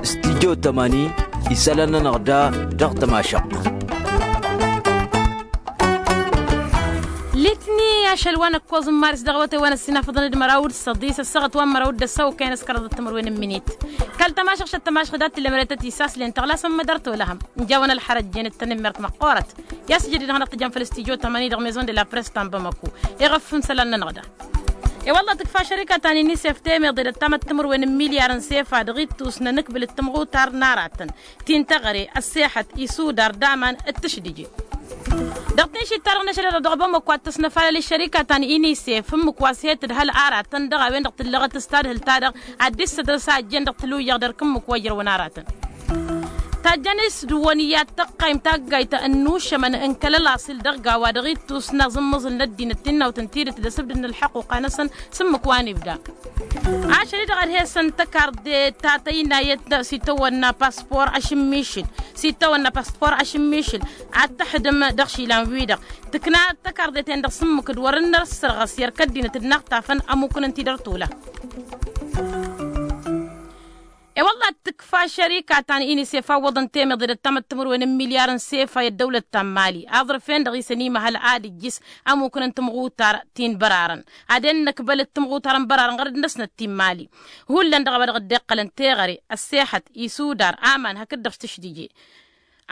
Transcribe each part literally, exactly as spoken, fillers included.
Stijyo tămani isălan-nănăɣ da dăɣ-tămašăɣt. Litni ašăl wa n-ăkkoẓ n-maris dăɣ-awătay wa n-ăssinafăḍăn d-măraw d-săḍis ăssaɣăt wa n-măraw d-ăssaw kăyăn s-kăraḍăt timǝrwen n-minit. Kăl-tămašăɣ šăt tămašăɣ dat-tǝllemăre tăt-isaslen tăɣlasăn mădăr tolăhăm n-jawăn ălxărăt jen d-tănămmert măqqoorăt. I-asǝjăd-i dăɣ-năɣ tǝjăn făll-stijyo tămani dăɣ-maison de la press ta n-bamăku. Iɣăf n-isălan-nănăɣ da. I-wălla tǝkfa šărika ta n-inisef temeḍe d-ăttamăt timǝrwen n-milyar n-sefa dăɣ-ittus n-anǝkbǝl d-tǝmɣutar n-aratăn ti n-teɣăre ăssexăt isudar d-aman d-tǝšdǝje. Dăɣ-tinšit-ta-dăɣ n-ašăl-i-dăɣ dăɣ-bamăko ad-tăsnăfalăl i-šărika ta n-inisef ǝmmǝk wa s-he-tǝdhăl aratăn dăɣ-a-wen-dăɣ tǝllăɣăt s-tadhǝlt-ta-dăɣ ad-dd-issădrăs a ǝjjen dăɣ-tǝlwǝyyăɣ d-erk ǝmmǝk wa ijrăwăn aratăn. Tajjăn-s d-wăniyat tăqqaymt taggayt n-inušămăn n-kăl-ălaṣil dăɣ-gawa dăɣ-ittus n-aẓǝmmăẓǝl n-ăddinăt tinnawt n-tidǝt d-asǝbdǝd n-ălḥăqquqa-năsăn s-ǝmmǝk wa n-ibda. Ašăl-i-dăɣ ad-he-săn tăkarde ta tăynayăt s-itawănna paspor ašǝmmišǝl s-itawănna paspor ašǝmmišǝl ad-tăxdǝm dăɣ-išilan-wi-dăɣ tǝkna tăkarde-ten-dăɣ s-ǝmmǝk d-wăr ǝnnăr ăssărɣăs i-erk ăddinăt d-inaɣtafăn ămukǝn n-tidăr tula. I-wălla ad-tǝkfa šărika ta n-inisef awwăḍăn temeḍe d-ăttamăt timǝrwen n-milyar n-sefa i-ăddăwlăt ta n-mali aẓrǝf-en-dăɣ isăn imăhăl ad-ǝjjǝs ămukǝn n-timɣutar ti n-bărarăn ad-en-năkbăl d-timɣutar n-bărarăn ɣărăd-năsnăt ti n-mali. Hullan dăɣ-a-wa dăɣ-dd-iqqălăn teɣăre ăssexăt isudar aman hakd-dăɣ s-tǝšdǝje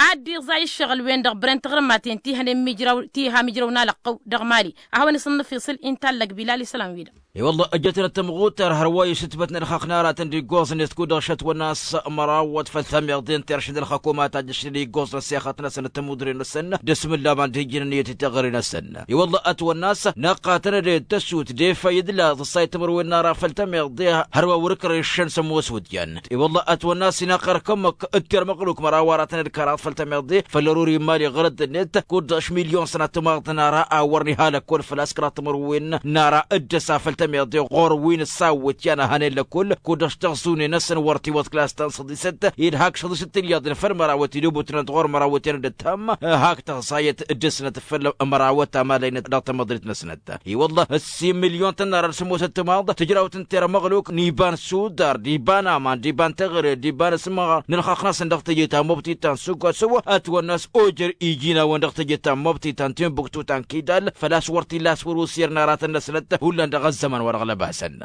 ad-dd-iẓay ǝššăɣǝl-wen-dăɣ bren tiɣrǝmmaten ti hănen mijraw ti iha mijraw n-alăqqăw dăɣ-mali. A hawăn-s ǝnnăfiṣǝl intallăg bilal isălan-wi-dăɣ. I-wălla ăjjătnăt tămɣutar hărwa isǝtbătnăt ălxaqq n-aratăn d-iggoẓ-net kud-dăɣ šătwănna a-s mărawăt făll-tameḍe n-teršǝd ălxăkumat a jăšnen iggoẓ n-ăssexăt-năsăn d-tămudre-năsăn d-asmǝllam ad-dd-hijjǝn ǝnniyăt i-teɣăre-năsăn. I-wălla ătwănna a-s năqqatăn d-tăsut d-efăy d-laẓ ǝssay timǝrwen n-ara făll-tameḍe hărwa wăr-ǝkrăy šăn s-ămoos wǝdyan. I-wălla ătwănna a-s inaqăr kămmăk d-termăɣluk măraw aratăn d-kăraḍ făll-tameḍe făll-ăruri n-imali ɣărăt-net kud-dăɣ š-milyon sănat timaḍt n-ara a wăr n-ihalăk kăwăn făl-a-s kăraḍ timǝrwen n-ara dd-ăsa făll-tameḍe ɣur-wi n-ăssawăt i-ad-năhănen lăkull kud-dăɣ š-tăɣẓune-năsăn wăr tiwăḍ klas ta n-săḍisăt. Ed hak šăḍisăt tilyăḍ n-făll-mărawăt idubutnăt ɣur-mărawăt i-ad-dd-tăm hak tăɣẓayăt dăr-snăt făll-mărawăt amalăynăt dăɣ-tamăḍrit-năsnăt. I-wălla ăssin milyon tănnar ad-sămoosăt timaḍ tǝjrawt n-termăɣluk n-iba n-sudar d-iba n-aman d-iba n-teɣăre d-iba n-asǝmɣar n-ălxaqq-năsăn dăɣ-teje ta n-mobti ta n-sugăsǝw ătwănna a-s ojer iji n-a-wen dăɣ-teje ta n-mobti ta n-timbuktu ta n-kidal. Făl-a-s wăr t-illa a-s wăr usǝyăr n-aratăn-năsnăt hullan dăɣ-ăzzăman wa dăɣ-lăbasăn.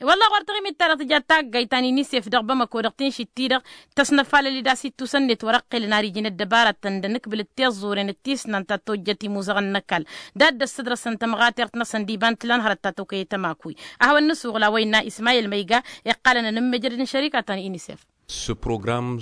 I-wălla ɣur-taɣimit-ta-dăɣ tǝja taggayt ta n-inisef dăɣ-bamăko dăɣ-tinšit-ti-dăɣ tăsnăfalăl-dd a-s ittusăn-net wăr-ăqqelăn ar ijin ăddăbarătăn d-anǝkbǝl d-tiẓẓuren d-tisnan ta tojjăt imuzăɣăn n-ăkall. Dat-dd-ăssădrăsăn tămɣatert-năsăn d-iba n-tǝla n-hărăt ta tokăyăt ămakuy. A hawăn-nǝsuɣǝl a-wa innă ismayel măyga iqqalăn ănǝmmejăd n-šărika ta n-inisef. S-program.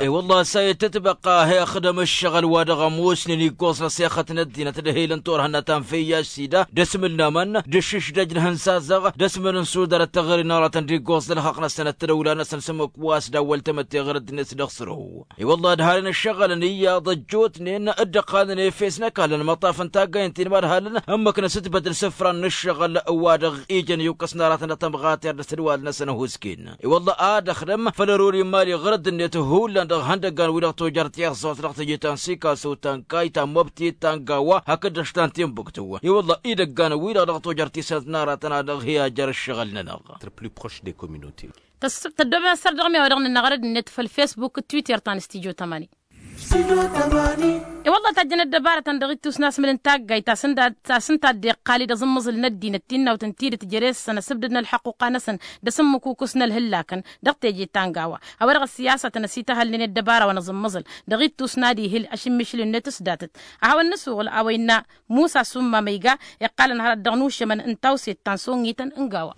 I-wălla a-s a itǝtbăqqa a hi-ixdăm ǝššăɣǝl wa dăɣ-ămoosnen iggoẓ n-ăssexăt n-ăddinăt d-ehilăn turhănna ta n-făyyaš sida d-asmǝl n-aman d-ašǝšdăj n-ihǝnsazăɣ d-asmǝl n-sudar d-teɣăre n-aratăn d-iggoẓ d-ălxaqq-năsăn d-tadăwla-năsăn s-ǝmmǝk wa s-dd-awwăl tamătte ɣărăt-net dăɣ-sărho. I-wălla ad-halăn ǝššăɣǝlăn iyyăḍ ăjjootnen dd-ăqqalnen efes n-ăkall n-imăṭṭaf n-taggaynt-in mad-halăn ǝmmǝk n-asǝtbăt n-isǝfran n-ǝššăɣǝl wa dăɣ-ijăn iwkăs n-aratăn dăɣ-tămɣatert d-asǝdwal-năsăn ăhuusken. I-wălla ad-ăxdăm făll-ăruri n-imali ɣărăt-net hullan dăɣ-ihăndăggan-wi-dăɣ tojăr tiẓẓurt dăɣ-teje ta n-sikaso ta n-kayt ta n-mobtit ta n-gawa hakd-dăɣ ta n-timbuktu. I-wălla idăggan-wi-dăɣ dăɣ-tojăr tisnăt n-aratăn a dăɣ-hi-ajăr ǝššăɣǝl-nănăɣ. Tăddobem ăssărdăɣ mi-a-wa dăɣ-nănăɣ rădd-net făll-fesbuk d-twitter ta n-studyo tămani. I-wălla tajjăn ăddăbarătăn dăɣ-ittus n-asmǝl n-taggayt ta s-ǝnta a dd-iqqal-dd aẓǝmmăẓǝl n-ăddinăt tinnawt n-tidǝt jere-săn ăsǝbdăd n-ălḥăqquqa-năsăn d-asǝmmǝkukǝs n-ălhǝllakăn dăɣ-teje ta n-gawa. A-wa dăɣ-ăssiyasătăn ăsităhălnen i-ăddăbara wa n-aẓǝmmăẓǝl dăɣ-ittus n-ad-ihǝl ašǝmmišǝl-net s-datăt. A hawăn-nǝsuɣǝl a-wa innă musa summa ma iga iqqalăn hărăt dăɣ-nušămăn n-tawset ta n-sunnităn n-gawa.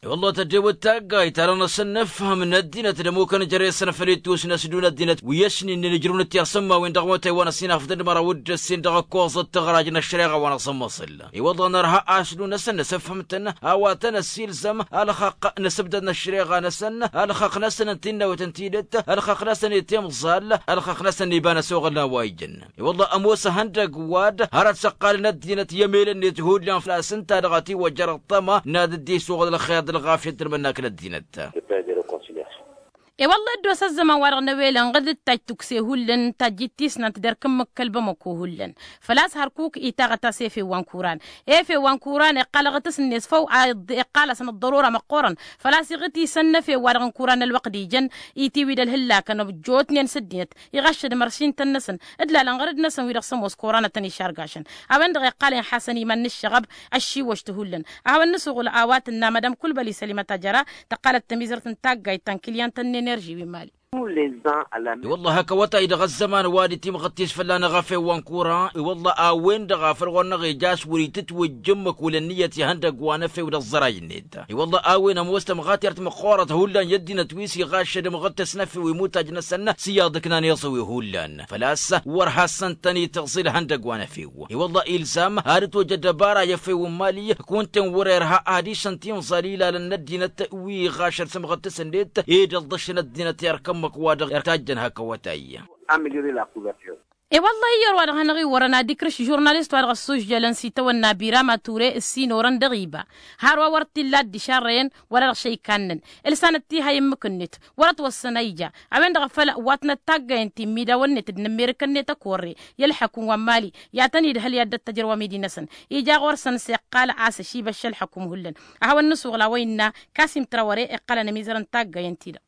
I-wălla tăddew d-taggayt ta dăɣ-năsăn nǝfhăm n-ăddinăt d-ămukăn jere-săn făll-ittus n-ăsdun ăddinăt wi ăsninen ǝjrǝwnăt tiɣsǝmmawen dăɣ-iwătay wa n-ăssinafăt d-măraw d-ǝssin dăɣ-ăkkoẓăt tăɣraj n-ăššăreɣa wa n-aẓǝmmăẓǝl. I-wălla nărha a-s ǝllu-năsăn nǝsǝfhǝm-tăn a-wa tăn-ăssiilzăm ălxaqq n-asǝbdăd n-ăššăreɣa-năsăn ălxaqq-năsăn n-tinnawt n-tidǝt ălxaqq-năsăn i-timẓal ălxaqq-năsăn n-iba n-ăsoɣăl n-a-wa ijăn. I-wălla ămoos ahăndăg wa-dd hărăt s-ăqqalăn ăddinăt i-emel-net hullan făl-a-s ǝnta-dăɣ ătiwăjjăr ăṭṭăma n-ad-dd-isuɣǝl ălxer d-ălɣafyăt d-ălmănnak n-ăddinăt. I-wălla dd-osa ăzzăman-wa-dăɣ n-ewelăn ɣǝd d-tajj tukse hullan tajj-ittisnant d-erk n-imǝkkăl bamăko hullan. Făl-a-s hărkuk itaɣăt a-s efew wa n-kuran. Efew wa n-kuran iqqal aɣǝtǝs-net făw a iqqal-asăn ăḍḍărora măqqoorăn. Făl-a-s iɣǝt isăn n-efew-wa-dăɣ n-kuran ălwăqq d-ijăn itiwid ălhǝllakăn ăjjootnen s-ăddinăt iɣăššăd imăršintăn-năsăn d-lalăn ɣărăd-năsăn wi-dăɣ s-ămoos koranătăn išargašăn. A-wen-dăɣ iqqal inxasăn iman n-ǝššăɣăb ăššiwăš-t hullan. A hawăn-nǝsuɣǝl a-wa tǝnna madam kulbăl isălimăt ajăra tăqqalăt tămizărt n-taggayt ta n-kilyan ta n-enerži wi n-mali. I-wălla hak awătay-dăɣ ăzzăman wa d-itimɣăt-t-s fălla-năɣ efew wa n-kuran i-wălla a-wen-dăɣ a făl ɣur-năɣ ija a-s wăr-itǝtwǝjj ǝmmǝk wăla ǝnniyăt ihăndăgg wa n-efew d-ăẓẓăray-net. I-wălla a-wen ămoos tămɣatert măqqoorăt hullan i-ăddinăt wi s-iɣaššăd ǝmɣǝd-t s-năfew imuttaj-năsăn s-iyyăḍ ǝknan iẓǝwi hullan. Făl-a-s wăr hassan-tăn-itǝẓẓǝl ihăndăgg wa n-efew. I-wălla ilzam ad-ătwăj ăddăbara i-efew n-mali kunta-en wăr-irha ad-išăn timẓal ilalăn n-ăddinăt wi iɣašăd s-ǝmɣǝd-t s-net ed ǝlḍǝššăn ăddinăt i-erk ǝmmǝk wa dăɣ-irtajjăn hak awătay. I-wălla iyyăr wa dăɣ-hanăɣ-iwwărăn ad-ikrǝš žurnalist wa dăɣ-ăssužjălăn s-itawănna birama ture ǝssin orăn dăɣ-iba har wa wăr t-illa dd-išarrăyăn wăla dăɣ-šăykan-năn. Ǝlsanăt tihăy ǝmmǝk-net wăr-ătwăssăn a ija. A-wen-dăɣ a făl wa tănăt taggayăn ti n-imidawăn-net d-inǝmmerǝkăn-net ăkorre i-ălḥăkum wa n-mali i-ad-tăn-idhăl i-ad-dd-ăttăjrăw amidi-năsăn. Ija ɣur-săn s-iqqal a-s ăšibăšša ălḥăkum hullan. A hawăn-nǝsuɣǝl a-wa innă kasim trawăre iqqălăn ămizărăn taggayăn-ti-dăɣ.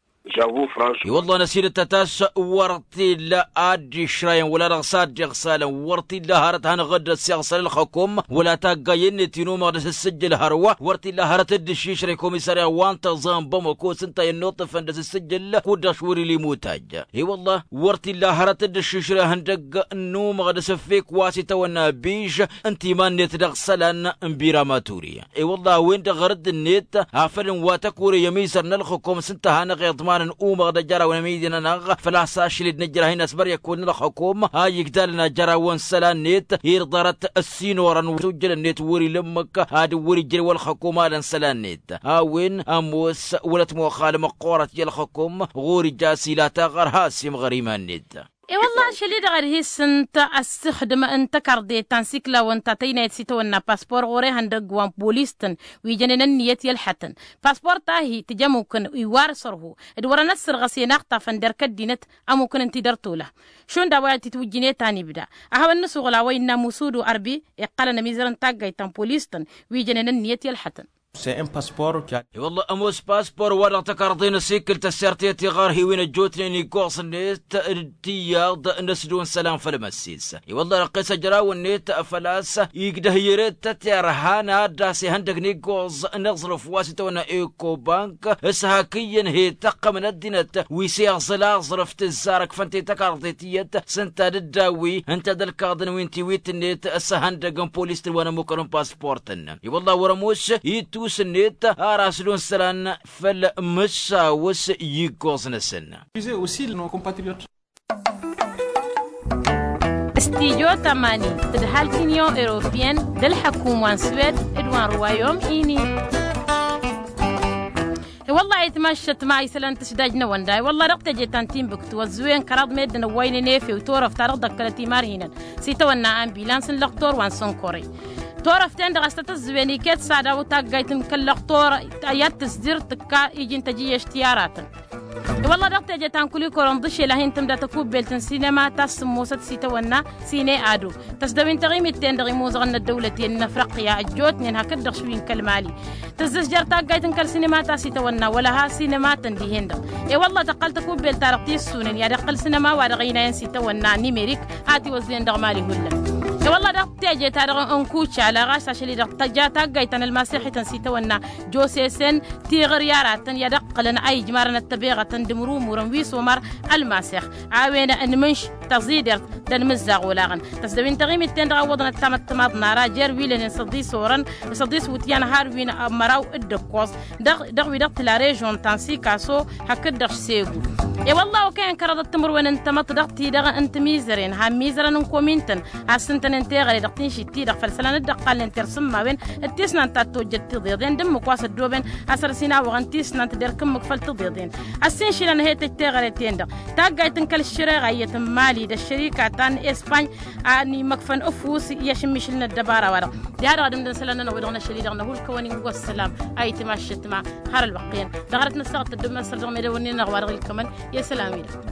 I-wălla năsidăt a tas wăr t-illa ad-dd-išrayăn wăla dăɣ-s ad-dd-iɣsalăn wăr t-illa hărăt hanăɣ-dd-ăssiɣsăl ălxăkum wăla taggayăn-net inumăɣ d-asǝssǝjjǝl hărwa wăr t-illa hărăt dd-iššǝšrăy komisarya wa n-tăẓa n-bamăko s-ǝnta i-ănnuṭṭǝfăn d-asǝssǝjjǝl kud-dăɣ šwăr-ila imutăjj. I-wălla wăr t-illa hărăt dd-iššǝšrăy ihăndăgg n-umăɣ d-asǝffek wa s-itawănna biž n-timan-net dăɣ-isălan n-biramaturi. I-wălla a-wen-dăɣ ɣărădd-net afăl n-wa tăkure i-ămizăr n-ălxǝkum s-ǝnta a hanăɣ-iḍmanăn umăɣ d-ajăraw n-amidi-nănăɣ făl-a-s ašăl-dd nǝjrah-in asbăr i-ăkkoḍ n-ălxǝkum a ijdalăn ajăraw n-isălan-net irḍarăt ăssinorăn s-ujjălăn-net wăr-ila ǝmmǝk ad-wăr-ijrǝw ălxǝkum alăn isălan-net. A-wen ămoos wăla t-moxal măqqoorăt i-ălxǝkum ɣur-ija a-s ila taɣăr has-imɣăr iman-net. I-wălla ašăl-i-dăɣ ad-hi-sǝnt ăssixdǝm n-tăkarḍe ta n-siklawăn ta tăynayăt s-itawănna paspor ɣur-ehăndăgg wa n-polis-tăn wi jănen ǝnniyăt i-ălḥătăn. Paspor ta hi-tǝj ămukǝn iwar sărhu d-wărăn ăssărɣăs i-inaxṭafăn d-erk ăddinăt ămukǝn ǝnta-i dăr-tola. Šund a-wa itǝtwǝjjǝn i-tanibda a hawăn-nǝsuɣǝl a-wa innă musudu arbi iqqălăn ămizărăn taggayt ta n-polis-tăn wi jănen ǝnniyăt i-ălḥătăn. I-wălla ămoos paspor wa dăɣ-tăkarḍe n-asikǝl tăssert i-tiɣărhiwin ăjjootnen iggoẓ-net d-tiyyăḍ n-ăsdun isălan făll-măssis. I-wălla răqqes ăjraw-net făl-a-s igdăh i-ret tăterha n-ad-dd-as ihăndăg n-iggoẓ n-aẓrǝf wa s-itawănna ekobank s-hak iyyăn hi-tăqqăm n-ăddinăt wi s-iẓǝl aẓrǝf tǝzzarăg fănte tăkarḍe tiyyăt s-ǝnta d-dd-awi ǝnta d-ălkaḍăn wi n-tiwit-net s-ihăndăg n-polis-tăn wa n-ămmukăn n-paspor-tăn. I-wălla wăr ămoos ittus-net ar asdun isălan făll-mǝssaw s-iggoẓ-năsăn. Stijo tămani tǝdhal t-inyon europiyăn d-ălḥăkum wa n-swed d-wa n-ruwayom ini. I-wălla-hi tmaššăt ma isălan tǝšdajnăwăn da i-wălla dăɣ-teje ta n-tinbǝktu ăzzǝwen kăraḍ meddǝn ăwwaynen efew torăft ta dăɣ-dd-ăkkălăt imarhinăn s-itawănna ambulans n-lăqtor wa n-sănkore. Torăft-en-dăɣ a-s tăt-ǝzzǝwen iket s-ad-awǝt taggayt n-kăl-lăqtor i-ad-tǝzdir tǝkka iji n-tăjǝyyeš tiyaratăn. I-wălla dăɣ-teje ta n-kulikor ǝnḍǝšel a hin-tǝmda tăkubbelt n-sinema ta s-sǝmmosăt s-itawănna sine ado. Tăsdăwin taɣimit-ten-dăɣ imuzăɣăn n-ăddăwlăten n-afriqya ăjjootnen hakd-dăɣ šwi n-kăl-mali. Tǝzzǝzjăr taggayt n-kăl-sinema ta s-itawănna wăla ha sinema-tăn dihen-dăɣ. I-wălla tăqqăl tăkubbelt-ta-dăɣ tissunen i-ad-iqqăl sinema wa dăɣ-ăynayăn s-itawănna nimerik a tiwăzzen dăɣ-mali hullan. I-wălla dăɣ-teje-ta-dăɣ n-kucala ɣas ašăl-i-dăɣ tăja taggayt ta n-ălmasixităn s-itawănna josesen tiɣăr i-aratăn i-ad-ǝqqǝlăn a ijmarăn ăttăbeɣătăn d-imrumurăn wi s-omar ălmasix. A-wen ănmǝnš tăẓidert d-ănmǝzzaɣ olaɣăn. Tăsdăwin taɣimit-ten-dăɣ a ǝwwăḍăn ăttamăttămaḍ n-ara jer-wi lănen săḍis orăn săḍis wǝtyan har wi n-măraw d-ǝkkoẓ. Dăɣ-wi-dăɣ tǝla režon ta n-sikaso hakd-dăɣ segu. I-wălla okăyăn kăraḍăt timǝrwen n-tamăḍt dăɣ-ti-dăɣ n-timizăren ha n-imizărăn n-komin-tăn. Has-ǝntăn Teɣăre dăɣ-tinšit-ti-dăɣ făll-isălan dd-ăqqalnen tersǝmmawen d-tisnant ta t-tojjăt tiḍeḍen d-ǝmmǝk wa s-ăddoobăn asăr s-inawăɣăn tisnant derk ǝmmǝk făll-tiḍeḍen. Ăssiinšǝlăn ăhetăj teɣăre-ten-dăɣ taggayt n-kăl-ăššăreɣa iyyăt n-mali d-ăššărika ta n-espany a n-imăkfăn ǝfus i-ašǝmmišǝl n-ăddăbara-wa-dăɣ. Diha-dăɣ ad-ǝmdăn isălan-nănăɣ wi-dăɣ n-ašăl-i-dăɣ năhull-kăwăn-in wăssălam. Ayǝtma ăššătma har ălwăqq-en dăɣ-hărăt n-ăssaɣăt tăddobnen săr dăɣ-medăwănnin-năɣ wa dăɣ-ilkămăn i-isălan-wi-dăɣ.